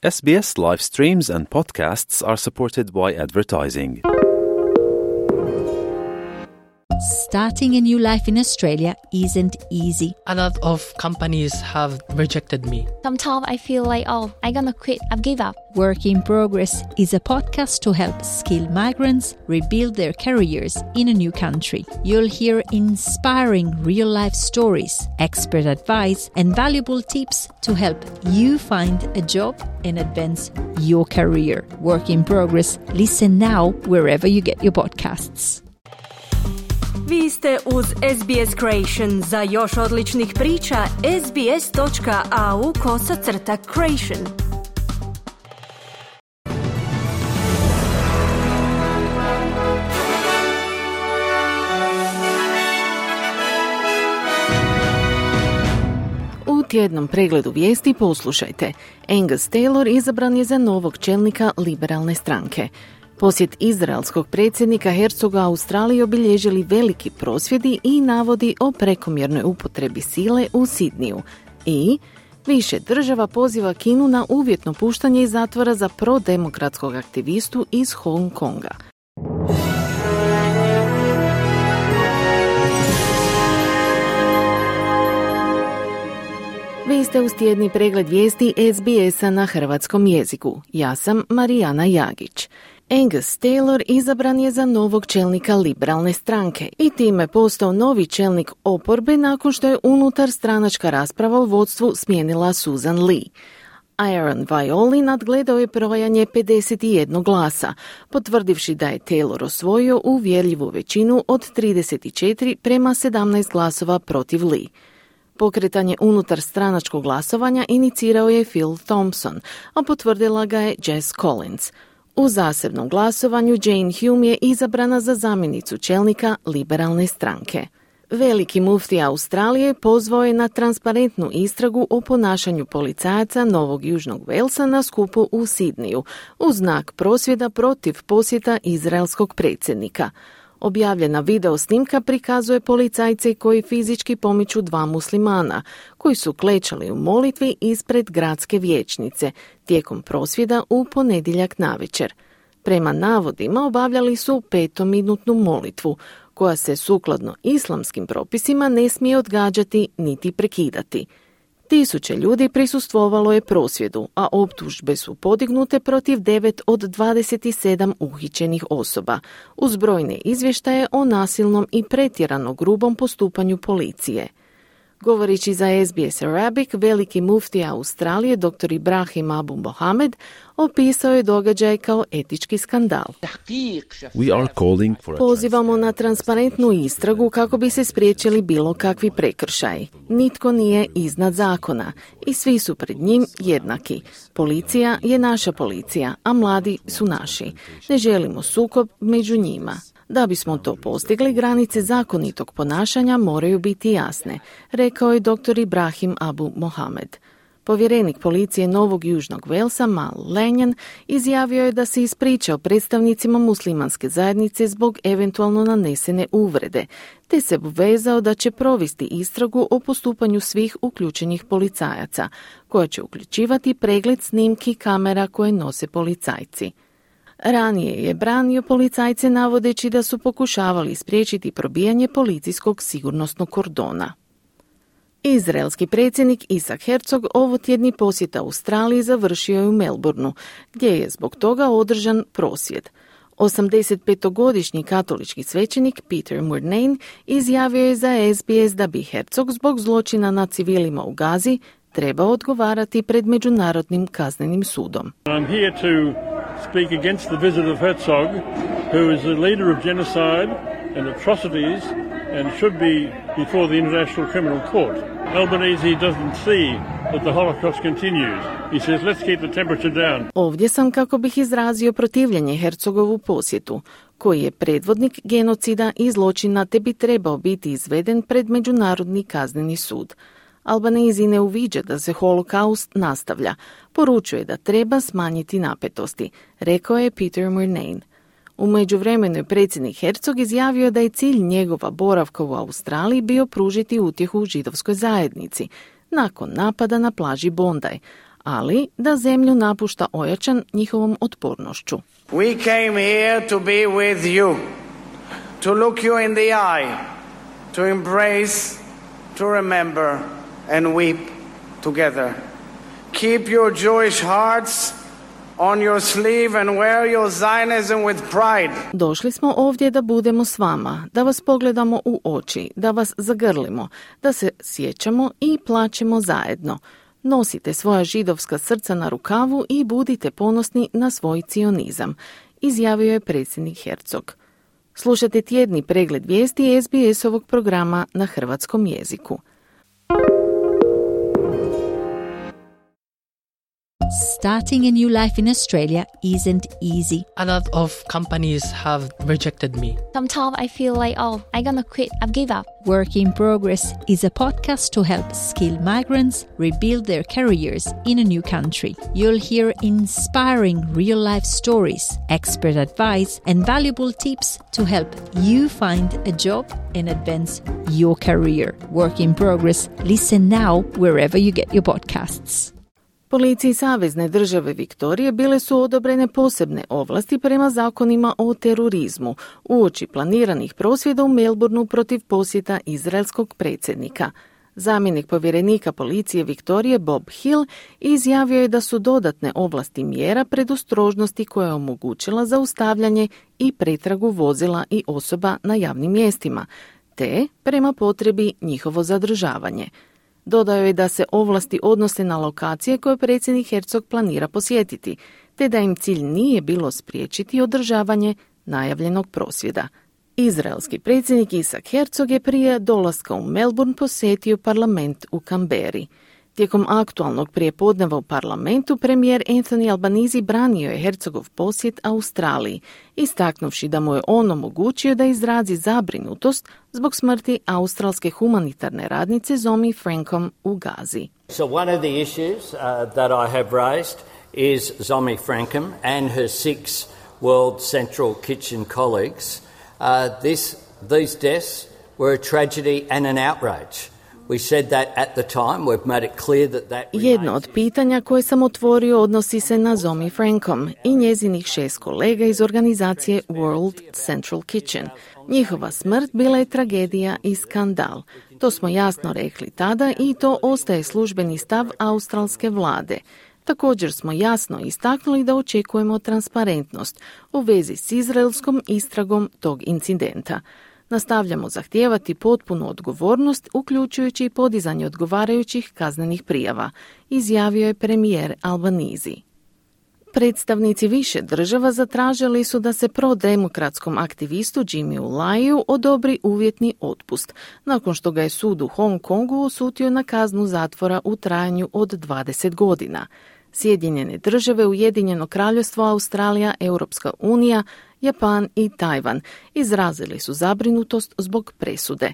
SBS live streams and podcasts are supported by advertising. Starting a new life in Australia isn't easy. A lot of companies have rejected me. Sometimes I feel like, I'm gonna quit, I've give up. Work in Progress is a podcast to help skilled migrants rebuild their careers in a new country. You'll hear inspiring real-life stories, expert advice, and valuable tips to help you find a job and advance your career. Work in Progress. Listen now wherever you get your podcasts. Vi ste uz SBS Creation. Za još odličnih priča, sbs.au/creation. U tjednom pregledu vijesti poslušajte. Angus Taylor izabran je za novog čelnika liberalne stranke. Posjet izraelskog predsjednika Herzoga Australiji obilježili veliki prosvjedi i navodi o prekomjernoj upotrebi sile u Sidniju. I više država poziva Kinu na uvjetno puštanje iz zatvora za prodemokratskog aktivistu iz Hong Konga. Vi ste uz tjedni pregled vijesti SBS-a na hrvatskom jeziku. Ja sam Marijana Jagić. Angus Taylor izabran je za novog čelnika liberalne stranke i time postao novi čelnik oporbe nakon što je unutar stranačka rasprava u vodstvu smijenila Susan Lee. Aaron Vaioli nadgledao je brojanje 51 glasa, potvrdivši da je Taylor osvojio uvjerljivu većinu od 34 prema 17 glasova protiv Lee. Pokretanje unutar stranačkog glasovanja inicirao je Phil Thompson, a potvrdila ga je Jess Collins. U zasebnom glasovanju Jane Hume je izabrana za zamjenicu čelnika liberalne stranke. Veliki muftija Australije pozvao je na transparentnu istragu o ponašanju policajaca Novog Južnog Walesa na skupu u Sidniju, u znak prosvjeda protiv posjeta izraelskog predsjednika. Objavljena video snimka prikazuje policajce koji fizički pomiču dva muslimana, koji su klečali u molitvi ispred gradske vijećnice tijekom prosvjeda u ponedjeljak navečer. Prema navodima obavljali su 5-minutnu molitvu, koja se sukladno islamskim propisima ne smije odgađati niti prekidati. Tisuće ljudi prisustvovalo je prosvjedu, a optužbe su podignute protiv 9 od 27 uhićenih osoba, uz brojne izvještaje o nasilnom i pretjerano grubom postupanju policije. Govoreći za SBS Arabic, veliki muftija Australije, dr. Ibrahim Abu Mohamed, opisao je događaj kao etički skandal. Pozivamo na transparentnu istragu kako bi se spriječili bilo kakvi prekršaji. Nitko nije iznad zakona i svi su pred njim jednaki. Policija je naša policija, a mladi su naši. Ne želimo sukob među njima. Da bismo to postigli, granice zakonitog ponašanja moraju biti jasne, rekao je dr. Ibrahim Abu Mohamed. Povjerenik policije Novog Južnog Walesa, Mal Lanyon, izjavio je da se ispričao predstavnicima muslimanske zajednice zbog eventualno nanesene uvrede, te se obvezao da će provesti istragu o postupanju svih uključenih policajaca, koja će uključivati pregled snimki kamera koje nose policajci. Ranije je branio policajce navodeći da su pokušavali spriječiti probijanje policijskog sigurnosnog kordona. Izraelski predsjednik Isaac Herzog ovotjedni posjet Australiji završio je u Melbourneu, gdje je zbog toga održan prosvjed. 85-godišnji katolički svećenik Peter Murnane izjavio je za SBS da bi Herzog zbog zločina nad civilima u Gazi trebao odgovarati pred Međunarodnim kaznenim sudom. I'm here to speak against the visit of Herzog, who is the leader of genocide and atrocities and should be before the International Criminal Court. Albanese doesn't see that the Holocaust continues. He says, let's keep the temperature down. Ovdje sam kako bih izrazio protivljenje Herzogovu posjetu, koji je predvodnik genocida i zločina te bi trebao biti izveden pred Međunarodni kazneni sud. Albanezi ne uviđa da se holokaust nastavlja, poručuje da treba smanjiti napetosti, rekao je Peter Murnane. U međuvremenu je predsjednik Herzog izjavio da je cilj njegova boravka u Australiji bio pružiti utjehu židovskoj zajednici nakon napada na plaži Bondi, ali da zemlju napušta ojačan njihovom otpornošću. We came here to be with you, to look you in the eye, to embrace, to remember and weep together. Keep your Jewish hearts on your sleeve and wear your Zionism with pride. Došli smo ovdje da budemo s vama, da vas pogledamo u oči, da vas zagrlimo, da se sjećamo i plačemo zajedno. Nosite svoja židovska srca na rukavu i budite ponosni na svoj cionizam, izjavio je predsjednik Herzog. Slušate tjedni pregled vijesti SBS-ovog programa na hrvatskom jeziku. Starting a new life in Australia isn't easy. A lot of companies have rejected me. Sometimes I feel like, I'm gonna quit. I've give up. Work in Progress is a podcast to help skilled migrants rebuild their careers in a new country. You'll hear inspiring real-life stories, expert advice, and valuable tips to help you find a job and advance your career. Work in Progress. Listen now wherever you get your podcasts. Policiji Savezne države Viktorije bile su odobrene posebne ovlasti prema zakonima o terorizmu uoči planiranih prosvjeda u Melbourneu protiv posjeta izraelskog predsjednika. Zamjenik povjerenika policije Viktorije Bob Hill izjavio je da su dodatne ovlasti mjera predostrožnosti koja je omogućila zaustavljanje i pretragu vozila i osoba na javnim mjestima, te prema potrebi njihovo zadržavanje. Dodao je da se ovlasti odnose na lokacije koje predsjednik Herzog planira posjetiti, te da im cilj nije bilo spriječiti održavanje najavljenog prosvjeda. Izraelski predsjednik Isaac Herzog je prije dolaska u Melbourne posjetio parlament u Canberri. Tijekom aktualnog prijepodneva u parlamentu premijer Anthony Albanese branio je Herzogov posjet Australiji, istaknuvši da mu je on omogućio da izrazi zabrinutost zbog smrti australske humanitarne radnice Zomi Frankom u Gazi. So one of the issues that I have raised is Zomi Frankum and her 6 World Central Kitchen colleagues. These deaths were a tragedy and an outrage. We said that at the time. We've made it clear that Jedno od pitanja koje sam otvorio odnosi se na Zomi Frankom i njezinih 6 kolega iz organizacije World Central Kitchen. Njihova smrt bila je tragedija i skandal. To smo jasno rekli tada i to ostaje službeni stav australske vlade. Također smo jasno istaknuli da očekujemo transparentnost u vezi s izraelskom istragom tog incidenta. Nastavljamo zahtijevati potpunu odgovornost, uključujući i podizanje odgovarajućih kaznenih prijava, izjavio je premijer Albanese. Predstavnici više država zatražili su da se prodemokratskom aktivistu Jimmyu Laiu odobri uvjetni otpust, nakon što ga je sud u Hong Kongu osutio na kaznu zatvora u trajanju od 20 godina. Sjedinjene države, Ujedinjeno kraljevstvo, Australija, Europska unija, Japan i Tajvan izrazili su zabrinutost zbog presude.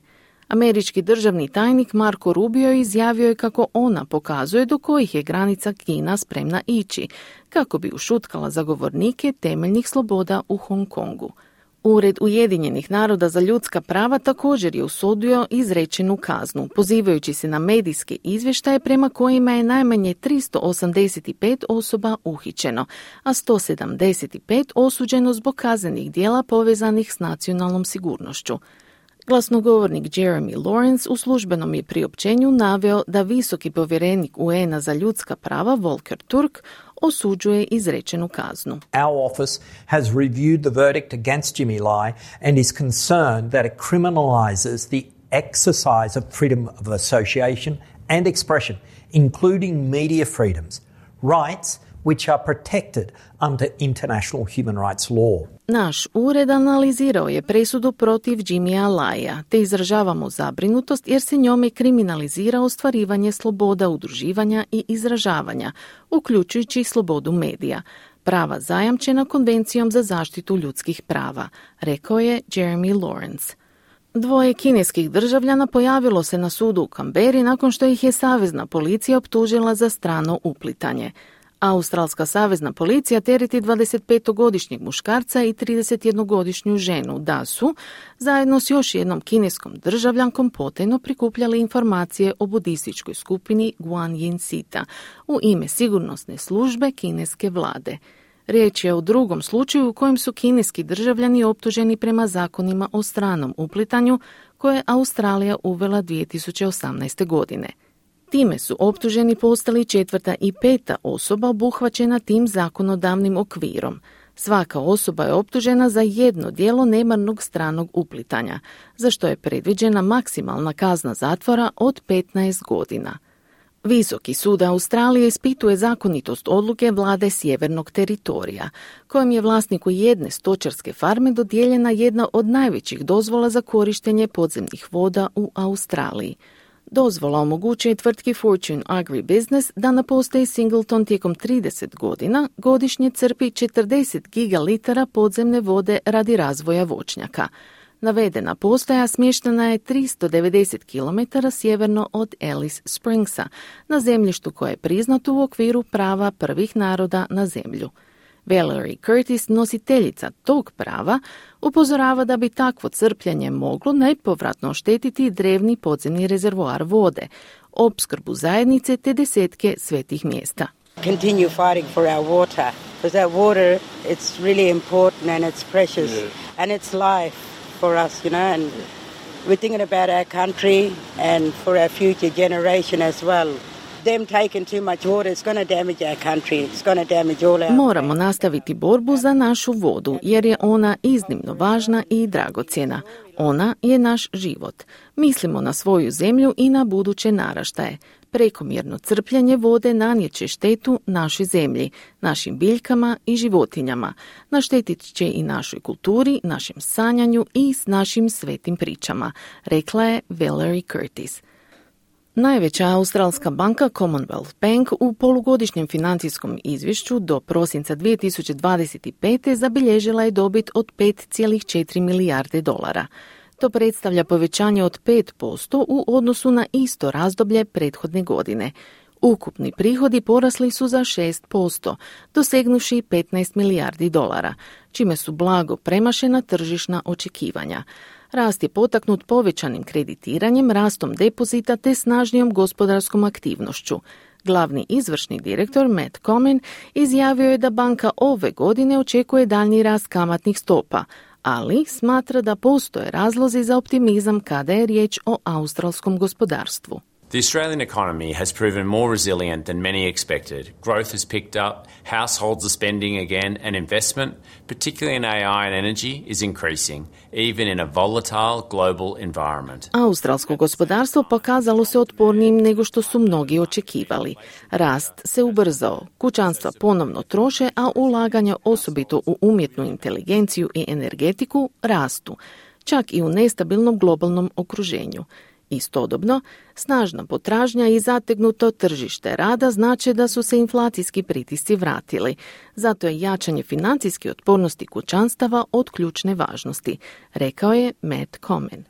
Američki državni tajnik Marco Rubio izjavio je kako ona pokazuje do kojih je granica Kina spremna ići, kako bi ušutkala zagovornike temeljnih sloboda u Hong Kongu. Ured Ujedinjenih naroda za ljudska prava također je osudio izrečenu kaznu, pozivajući se na medijske izvještaje prema kojima je najmanje 385 osoba uhićeno, a 175 osuđeno zbog kaznenih djela povezanih s nacionalnom sigurnošću. Glasnogovornik Jeremy Lawrence u službenom je priopćenju naveo da visoki povjerenik UN-a za ljudska prava Volker Turk osuđuje izrečenu kaznu. Our office has reviewed the verdict against Jimmy Lai and is concerned that it criminalizes the exercise of freedom of association and expression, including media freedoms, rights which are protected under international human rights law. Naš ured analizirao je presudu protiv Jimmya Laia, te izražavamo zabrinutost jer se njome kriminalizira ostvarivanje sloboda udruživanja i izražavanja, uključujući slobodu medija, prava zajamčena Konvencijom za zaštitu ljudskih prava, rekao je Jeremy Lawrence. 2 kineskih državljana pojavilo se na sudu u Canberri nakon što ih je savezna policija optužila za strano uplitanje. Australska savezna policija tereti 25-godišnjeg muškarca i 31-godišnju ženu da su, zajedno s još jednom kineskom državljankom, potajno prikupljali informacije o budističkoj skupini Guanyin Sita u ime sigurnosne službe kineske vlade. Riječ je o drugom slučaju u kojem su kineski državljani optuženi prema zakonima o stranom uplitanju koje je Australija uvela 2018. godine. Time su optuženi postali 4. i 5. osoba obuhvaćena tim zakonodavnim okvirom. Svaka osoba je optužena za jedno djelo nemarnog stranog uplitanja, za što je predviđena maksimalna kazna zatvora od 15 godina. Visoki sud Australije ispituje zakonitost odluke vlade Sjevernog teritorija, kojem je vlasniku jedne stočarske farme dodijeljena jedna od najvećih dozvola za korištenje podzemnih voda u Australiji. Dozvola omogućuje tvrtki Fortune Agribusiness da na postaji Singleton tijekom 30 godina godišnje crpi 40 gigalitara podzemne vode radi razvoja voćnjaka. Navedena postaja smještena je 390 km sjeverno od Alice Springsa, na zemljištu koje je priznato u okviru prava prvih naroda na zemlju. Valerie Curtis, nositeljica tog prava, upozorava da bi takvo crpljenje moglo nepovratno oštetiti drevni podzemni rezervoar vode, opskrbu zajednice te desetke svetih mjesta. Continue fighting for our water, because that water, it's really important and it's precious and it's life for us, you know, and we're thinking about our country and for our future generation as well. Them taking too much water, it's going to damage our country, it's going to damage all our... Moramo nastaviti borbu za našu vodu, jer je ona iznimno važna i dragocjena. Ona je naš život. Mislimo na svoju zemlju i na buduće naraštaje. Prekomjerno crpljenje vode nanijeće štetu našoj zemlji, našim biljkama i životinjama. Naštetit će i našoj kulturi, našem sanjanju i s našim svetim pričama, rekla je Valerie Curtis. Najveća australska banka Commonwealth Bank u polugodišnjem financijskom izvješću do prosinca 2025. zabilježila je dobit od 5,4 milijarde dolara. To predstavlja povećanje od 5% u odnosu na isto razdoblje prethodne godine. Ukupni prihodi porasli su za 6%, dosegnuši 15 milijardi dolara, čime su blago premašena tržišna očekivanja. Rast je potaknut povećanim kreditiranjem, rastom depozita te snažnijom gospodarskom aktivnošću. Glavni izvršni direktor Matt Comyn izjavio je da banka ove godine očekuje daljnji rast kamatnih stopa, ali smatra da postoje razlozi za optimizam kada je riječ o australskom gospodarstvu. The Australian economy has proven more resilient than many expected. Growth has picked up, households are spending again, and investment, particularly in AI and energy, is increasing, even in a volatile global environment. Australsko gospodarstvo pokazalo se otpornijim nego što su mnogi očekivali. Rast se ubrzao, kućanstva ponovno troše, a ulaganja osobito u umjetnu inteligenciju i energetiku rastu, čak i u nestabilnom globalnom okruženju. Istodobno, snažna potražnja i zategnuto tržište rada znače da su se inflacijski pritisci vratili. Zato je jačanje financijske otpornosti kućanstava od ključne važnosti, rekao je Matt Comyn.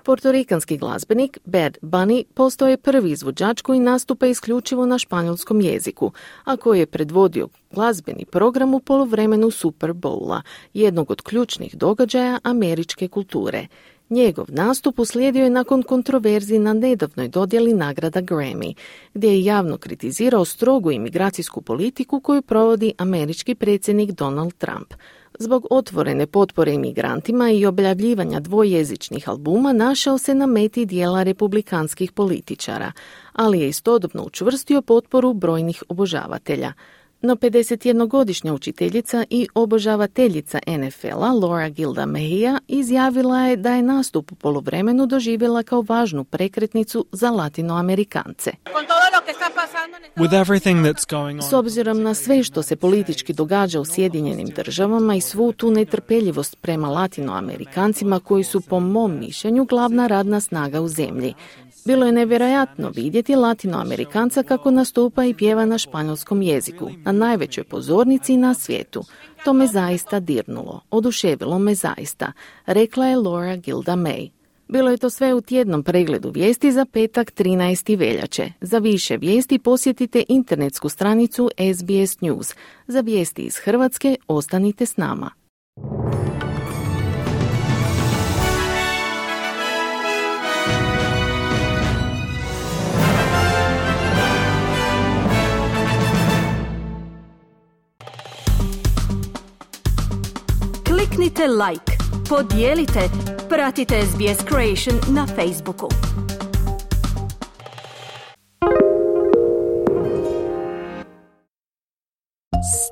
Portorikanski glazbenik Bad Bunny postao je prvi izvođač koji nastupa isključivo na španjolskom jeziku, a koji je predvodio glazbeni program u poluvremenu Super Bowla, jednog od ključnih događaja američke kulture. Njegov nastup uslijedio je nakon kontroverzi na nedavnoj dodjeli nagrada Grammy, gdje je javno kritizirao strogu imigracijsku politiku koju provodi američki predsjednik Donald Trump. Zbog otvorene potpore imigrantima i objavljivanja dvojezičnih albuma našao se na meti dijela republikanskih političara, ali je istodobno učvrstio potporu brojnih obožavatelja. No 51-godišnja učiteljica i obožavateljica NFL-a Laura Gilda Mejia izjavila je da je nastup u poluvremenu doživjela kao važnu prekretnicu za Latinoamerikance. S obzirom na sve što se politički događa u Sjedinjenim državama i svu tu netrpeljivost prema Latinoamerikancima koji su po mom mišljenju glavna radna snaga u zemlji, bilo je nevjerojatno vidjeti Latinoamerikanca kako nastupa i pjeva na španjolskom jeziku, na najvećoj pozornici na svijetu. To me zaista dirnulo, oduševilo me zaista, rekla je Laura Gilda May. Bilo je to sve u tjednom pregledu vijesti za petak 13. veljače. Za više vijesti posjetite internetsku stranicu SBS News. Za vijesti iz Hrvatske ostanite s nama. Kliknite like, podijelite, pratite SBS Creation na Facebooku.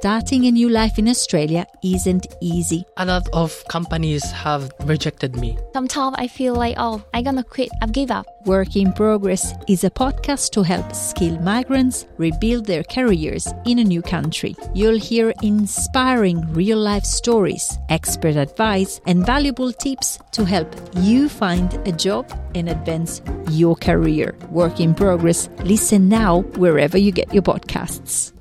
Starting a new life in Australia isn't easy. A lot of companies have rejected me. Sometimes I feel like, I'm gonna quit. I've give up. Work in Progress is a podcast to help skilled migrants rebuild their careers in a new country. You'll hear inspiring real-life stories, expert advice, and valuable tips to help you find a job and advance your career. Work in Progress. Listen now wherever you get your podcasts.